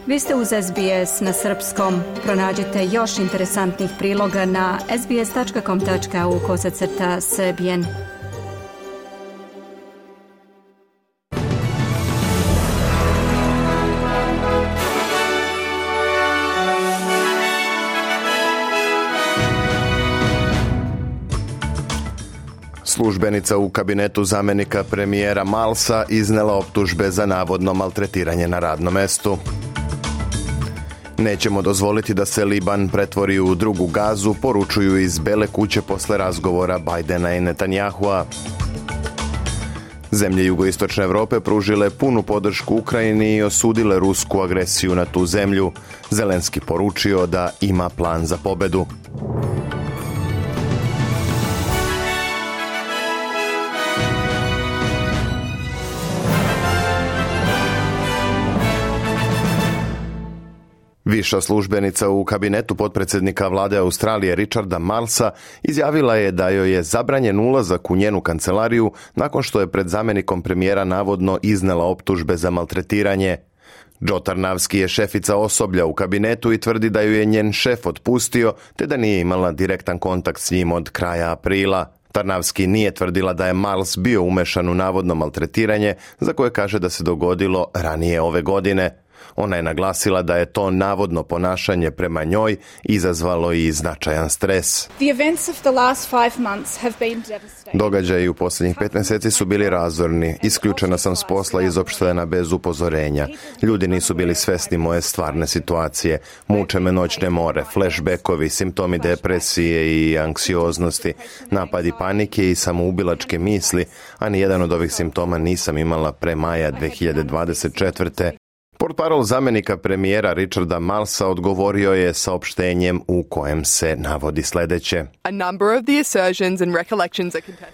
Vi ste uz SBS na srpskom. Pronađite još interesantnih priloga na sbs.com.au/srbijen. Službenica u kabinetu zamjenika premijera Milesa iznela optužbe za navodno maltretiranje na radnom mestu. Nećemo dozvoliti da se Liban pretvori u drugu Gazu, poručuju iz Bele kuće posle razgovora Bidena i Netanyahua. Zemlje jugoistočne Europe pružile punu podršku Ukrajini i osudile rusku agresiju na tu zemlju. Zelenski poručio da ima plan za pobedu. Viša službenica u kabinetu potpredsjednika vlade Australije Richarda Marlesa izjavila je da joj je zabranjen ulazak u njenu kancelariju nakon što je pred zamjenikom premijera navodno iznela optužbe za maltretiranje. Joe Tarnavski je šefica osoblja u kabinetu i tvrdi da ju je njen šef otpustio te da nije imala direktan kontakt s njim od kraja aprila. Tarnavski nije tvrdila da je Marles bio umešan u navodno maltretiranje za koje kaže da se dogodilo ranije ove godine. Ona je naglasila da je to navodno ponašanje prema njoj izazvalo i značajan stres. Događaji u posljednjih 5 mjeseci su bili razorni. Isključena sam s posla i izopštena bez upozorenja. Ljudi nisu bili svjesni moje stvarne situacije. Muče me noćne more, flashbackovi, simptomi depresije i anksioznosti, napadi panike i samoubilačke misli, a nijedan od ovih simptoma nisam imala pre maja 2024. Portparol zamjenika premijera Richarda Marlesa odgovorio je saopštenjem u kojem se navodi sljedeće.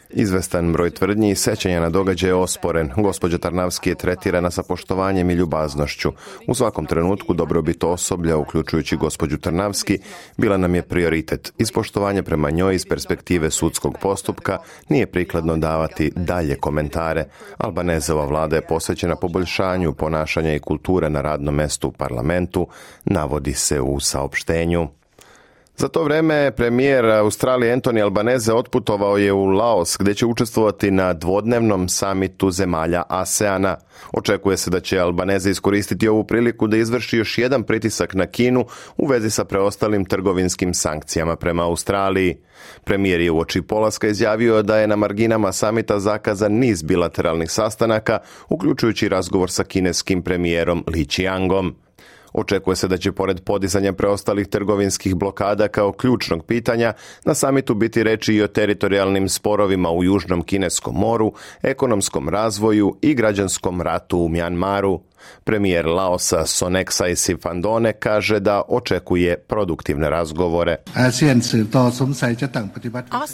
Izvestan broj tvrdnji i sećanja na događaje je osporen. Gospođa Tarnavski je tretirana sa poštovanjem i ljubaznošću. U svakom trenutku dobrobit osoblja, uključujući gospođu Tarnavski, bila nam je prioritet. Ispoštovanje prema njoj iz perspektive sudskog postupka nije prikladno davati dalje komentare. Albanezova vlada je posvećena poboljšanju ponašanja i kulture na radnom mestu u parlamentu, navodi se u saopštenju. Za to vrijeme premijer Australije Anthony Albanese otputovao je u Laos gdje će učestvovati na dvodnevnom samitu zemalja ASEANA. Očekuje se da će Albanese iskoristiti ovu priliku da izvrši još jedan pritisak na Kinu u vezi sa preostalim trgovinskim sankcijama prema Australiji. Premijer je uoči polaska izjavio da je na marginama samita zakazan niz bilateralnih sastanaka, uključujući razgovor sa kineskim premijerom Li Qiangom. Očekuje se da će pored podizanja preostalih trgovinskih blokada kao ključnog pitanja na samitu biti reči i o teritorijalnim sporovima u Južnom Kineskom moru, ekonomskom razvoju i građanskom ratu u Mjanmaru. Premijer Laosa Soneksay Sifandone kaže da očekuje produktivne razgovore.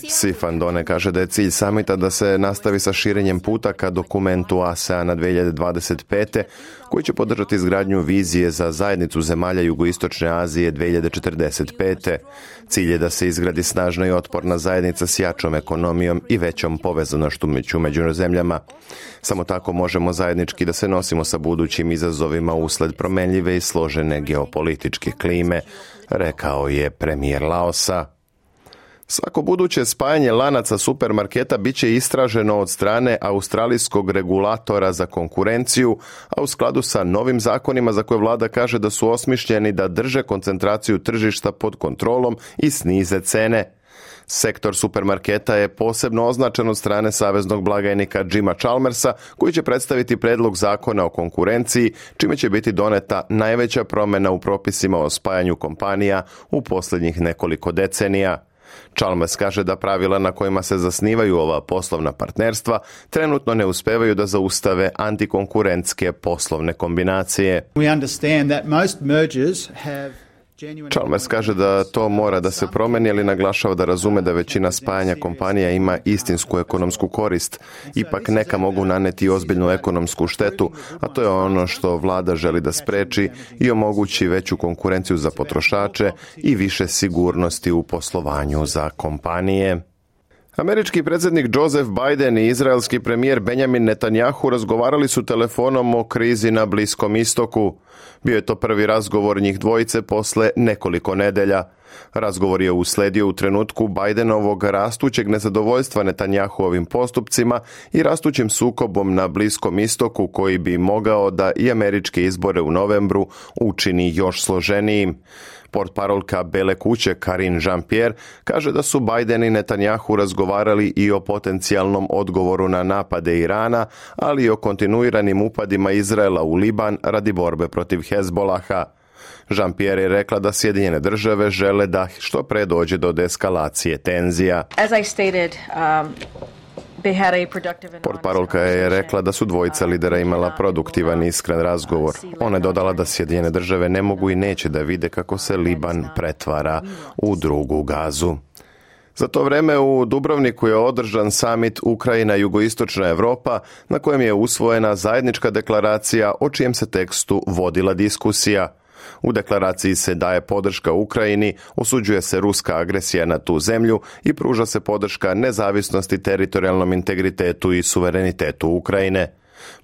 Sifandone kaže da je cilj samita da se nastavi sa širenjem puta ka dokumentu ASEANA 2025. koji će podržati izgradnju vizije za zajednicu zemalja Jugoistočne Azije 2045. Cilj je da se izgradi snažna i otporna zajednica s jačom ekonomijom i većom povezanošću među zemljama. Samo tako možemo zajednički da se nosimo sa budućim izazovima usled promenljive i složene geopolitičke klime, rekao je premijer Laosa. Svako buduće spajanje lanaca supermarketa bit će istraženo od strane australijskog regulatora za konkurenciju, a u skladu sa novim zakonima za koje vlada kaže da su osmišljeni da drže koncentraciju tržišta pod kontrolom i snize cene. Sektor supermarketa je posebno označen od strane saveznog blagajnika Jima Chalmersa, koji će predstaviti predlog zakona o konkurenciji, čime će biti doneta najveća promjena u propisima o spajanju kompanija u posljednjih nekoliko decenija. Chalmers kaže da pravila na kojima se zasnivaju ova poslovna partnerstva trenutno ne uspevaju da zaustave antikonkurentske poslovne kombinacije. Chalmers kaže da to mora da se promeni, ali naglašava da razume da većina spajanja kompanija ima istinsku ekonomsku korist. Ipak neka mogu naneti ozbiljnu ekonomsku štetu, a to je ono što vlada želi da spreči i omogući veću konkurenciju za potrošače i više sigurnosti u poslovanju za kompanije. Američki predsjednik Joseph Biden i izraelski premijer Benjamin Netanyahu razgovarali su telefonom o krizi na Bliskom istoku. Bio je to prvi razgovor njih dvojice posle nekoliko nedelja. Razgovor je usledio u trenutku Bidenovog rastućeg nezadovoljstva Netanyahuovim postupcima i rastućim sukobom na Bliskom istoku koji bi mogao da i američke izbore u novembru učini još složenijim. Portparolka Bele kuće Karine Jean-Pierre kaže da su Biden i Netanyahu razgovarali i o potencijalnom odgovoru na napade Irana, ali i o kontinuiranim upadima Izraela u Liban radi borbe protiv Hezbolaha. Jean-Pierre je rekla da Sjedinjene države žele da što pre dođe do deeskalacije tenzija. Portparolka je rekla da su dvojica lidera imala produktivan i iskren razgovor. Ona je dodala da Sjedinjene države ne mogu i neće da vide kako se Liban pretvara u drugu Gazu. Za to vreme u Dubrovniku je održan samit Ukrajina-Jugoistočna Evropa na kojem je usvojena zajednička deklaracija o čijem se tekstu vodila diskusija. U deklaraciji se daje podrška Ukrajini, osuđuje se ruska agresija na tu zemlju i pruža se podrška nezavisnosti, teritorijalnom integritetu i suverenitetu Ukrajine.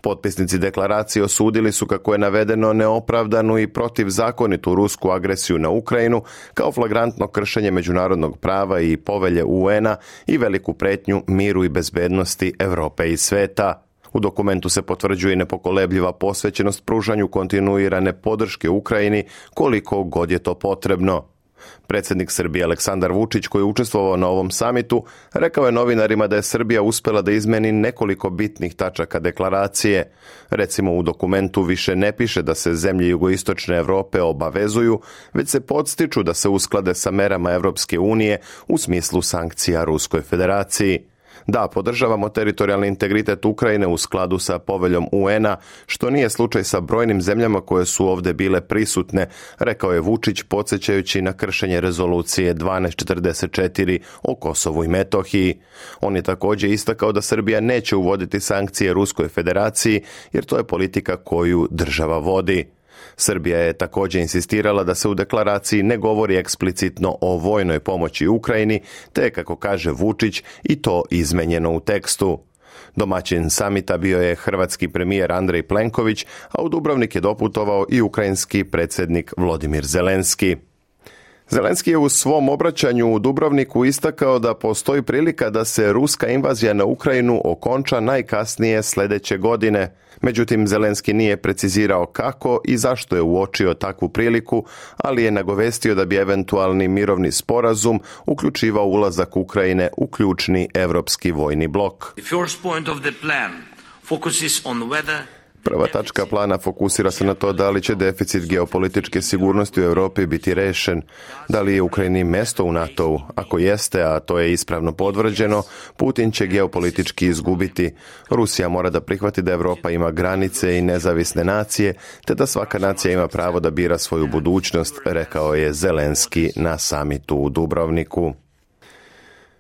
Potpisnici deklaracije osudili su, kako je navedeno, neopravdanu i protivzakonitu rusku agresiju na Ukrajinu kao flagrantno kršenje međunarodnog prava i povelje UN-a i veliku pretnju miru i bezbednosti Europe i sveta. U dokumentu se potvrđuje nepokolebljiva posvećenost pružanju kontinuirane podrške Ukrajini koliko god je to potrebno. Predsjednik Srbije Aleksandar Vučić, koji je učestvovao na ovom samitu, rekao je novinarima da je Srbija uspela da izmeni nekoliko bitnih tačaka deklaracije. Recimo, u dokumentu više ne piše da se zemlje jugoistočne Evrope obavezuju, već se podstiču da se usklade sa merama Evropske unije u smislu sankcija Ruskoj federaciji. Da, podržavamo teritorijalni integritet Ukrajine u skladu sa poveljom UN-a, što nije slučaj sa brojnim zemljama koje su ovdje bile prisutne, rekao je Vučić, podsjećajući na kršenje rezolucije 1244 o Kosovu i Metohiji. On je također istakao da Srbija neće uvoditi sankcije Ruskoj federaciji, jer to je politika koju država vodi. Srbija je također insistirala da se u deklaraciji ne govori eksplicitno o vojnoj pomoći Ukrajini, te, kako kaže Vučić, i to izmenjeno u tekstu. Domaćin samita bio je hrvatski premijer Andrej Plenković, a u Dubrovnik je doputovao i ukrajinski predsjednik Volodymyr Zelenski. Zelenski je u svom obraćanju u Dubrovniku istakao da postoji prilika da se ruska invazija na Ukrajinu okonča najkasnije sljedeće godine. Međutim, Zelenski nije precizirao kako i zašto je uočio takvu priliku, ali je nagovestio da bi eventualni mirovni sporazum uključivao ulazak Ukrajine u ključni evropski vojni blok. Prva tačka plana fokusira se na to da li će deficit geopolitičke sigurnosti u Europi biti rešen, da li je Ukrajini mjesto u NATO-u. Ako jeste, a to je ispravno potvrđeno, Putin će geopolitički izgubiti. Rusija mora da prihvati da Europa ima granice i nezavisne nacije, te da svaka nacija ima pravo da bira svoju budućnost, rekao je Zelenski na samitu u Dubrovniku.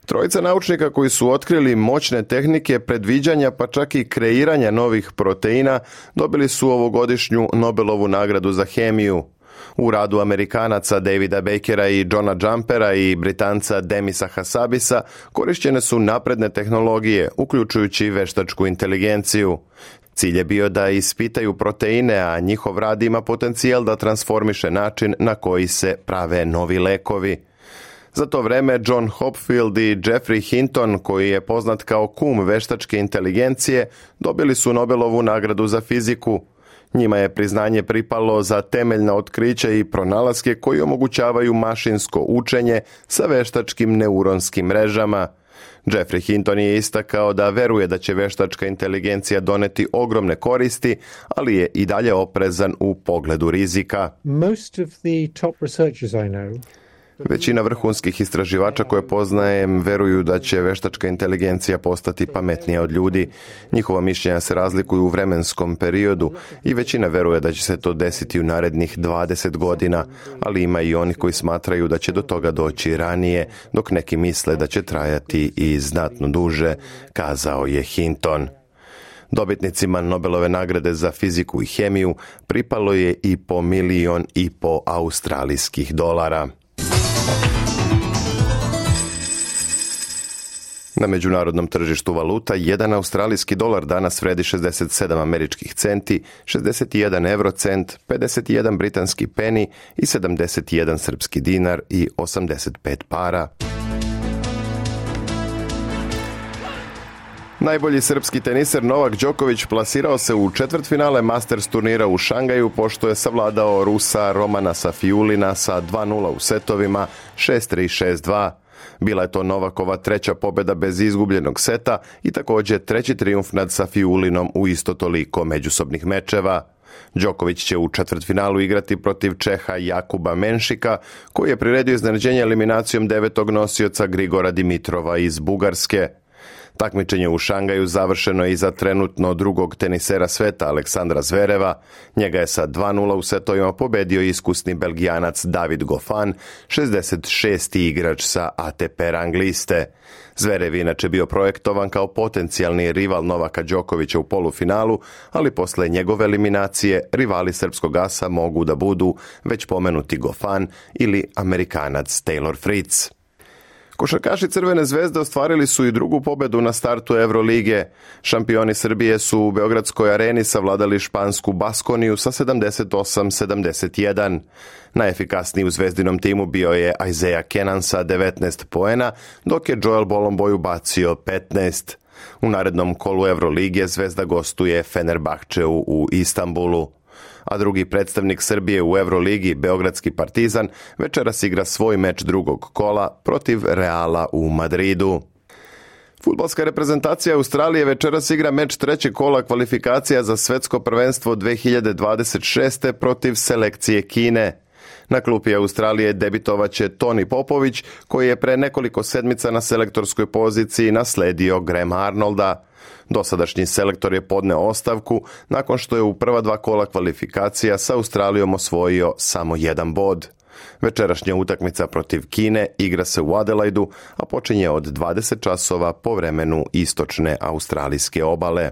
Trojica naučnika koji su otkrili moćne tehnike predviđanja pa čak i kreiranja novih proteina dobili su ovogodišnju Nobelovu nagradu za hemiju. U radu Amerikanaca Davida Bakera i Johna Jumpera i Britanca Demisa Hassabisa korišćene su napredne tehnologije, uključujući veštačku inteligenciju. Cilj je bio da ispitaju proteine, a njihov rad ima potencijal da transformiše način na koji se prave novi lekovi. Za to vreme John Hopfield i Geoffrey Hinton, koji je poznat kao kum veštačke inteligencije, dobili su Nobelovu nagradu za fiziku. Njima je priznanje pripalo za temeljna otkrića i pronalaske koji omogućavaju mašinsko učenje sa veštačkim neuronskim mrežama. Geoffrey Hinton je istakao da veruje da će veštačka inteligencija doneti ogromne koristi, ali je i dalje oprezan u pogledu rizika. Most of the top researchers I know Većina vrhunskih istraživača koje poznajem veruju da će veštačka inteligencija postati pametnija od ljudi. Njihova mišljenja se razlikuju u vremenskom periodu i većina veruje da će se to desiti u narednih 20 godina, ali ima i oni koji smatraju da će do toga doći ranije, dok neki misle da će trajati i znatno duže, kazao je Hinton. Dobitnicima Nobelove nagrade za fiziku i hemiju pripalo je i po $1,5 miliona australijskih dolara. Na međunarodnom tržištu valuta, 1 australijski dolar danas vredi 67 američkih centi, 61 eurocent, 51 britanski peni i 71 srpski dinar i 85 para. Najbolji srpski teniser Novak Đoković plasirao se u četvrtfinale Masters turnira u Šangaju pošto je savladao Rusa Romana Safiulina sa 2-0 u setovima 6-3, 6-2. Bila je to Novakova treća pobjeda bez izgubljenog seta i također treći trijumf nad Safiulinom u isto toliko međusobnih mečeva. Đoković će u četvrtfinalu igrati protiv Čeha Jakuba Menšika, koji je priredio iznenađenje eliminacijom 9. nosioca Grigora Dimitrova iz Bugarske. Takmičenje u Šangaju završeno je i za trenutno drugog tenisera sveta Aleksandra Zvereva. Njega je sa 2-0 u setovima pobedio iskusni Belgijanac David Goffin, 66. igrač sa ATP rang liste. Zverev inače bio projektovan kao potencijalni rival Novaka Đokovića u polufinalu, ali posle njegove eliminacije rivali srpskog asa mogu da budu već pomenuti Goffin ili Amerikanac Taylor Fritz. Košarkaši Crvene zvezde ostvarili su i drugu pobedu na startu Evrolige. Šampioni Srbije su u Beogradskoj areni savladali špansku Baskoniju sa 78-71. Najefikasniji u zvezdinom timu bio je Isaiah Kenan sa 19 poena, dok je Joel Bolomboy ubacio 15. U narednom kolu Evrolige Zvezda gostuje Fenerbahčeu u Istanbulu. A drugi predstavnik Srbije u Evroligi, Beogradski Partizan, večeras igra svoj meč drugog kola protiv Reala u Madridu. Fudbalska reprezentacija Australije večeras igra meč trećeg kola kvalifikacija za svetsko prvenstvo 2026. protiv selekcije Kine. Na klupi Australije debitovaće Toni Popović, koji je pre nekoliko sedmica na selektorskoj poziciji nasledio Grahama Arnolda. Dosadašnji selektor je podneo ostavku nakon što je u prva dva kola kvalifikacija sa Australijom osvojio samo 1 bod. Večerašnja utakmica protiv Kine igra se u Adelaidu, a počinje od 20 časova po vremenu istočne australijske obale.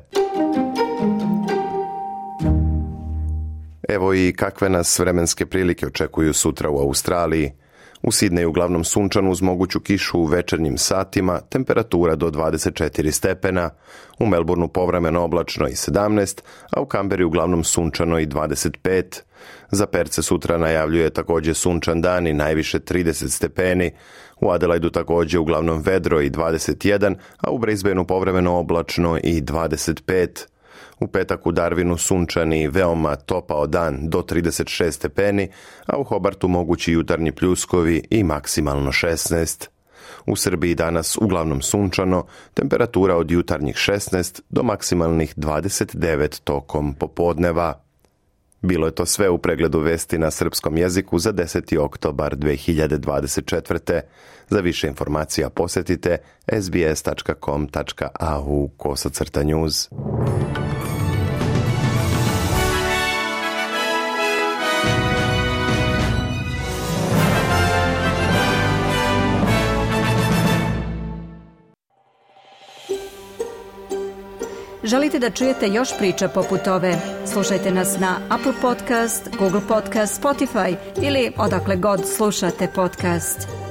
Evo i kakve nas vremenske prilike očekuju sutra u Australiji. U Sidneju uglavnom sunčano uz moguću kišu u večernjim satima, temperatura do 24 stepena. U Melbourneu povremeno oblačno i 17, a u Kamberi uglavnom sunčano i 25. Za Perce sutra najavljuje također sunčan dan i najviše 30 stepeni. U Adelaidu također uglavnom vedro i 21, a u Brisbaneu povremeno oblačno i 25. U petak u Darwinu sunčani veoma topao dan do 36 stepeni, a u Hobartu mogući jutarnji pljuskovi i maksimalno 16. U Srbiji danas uglavnom sunčano, temperatura od jutarnjih 16 do maksimalnih 29 tokom popodneva. Bilo je to sve u pregledu vesti na srpskom jeziku za 10. oktobar 2024. Za više informacija posjetite sbs.com.au/news. Želite da čujete još priča poput ove? Slušajte nas na Apple Podcast, Google Podcast, Spotify ili odakle god slušate podcast.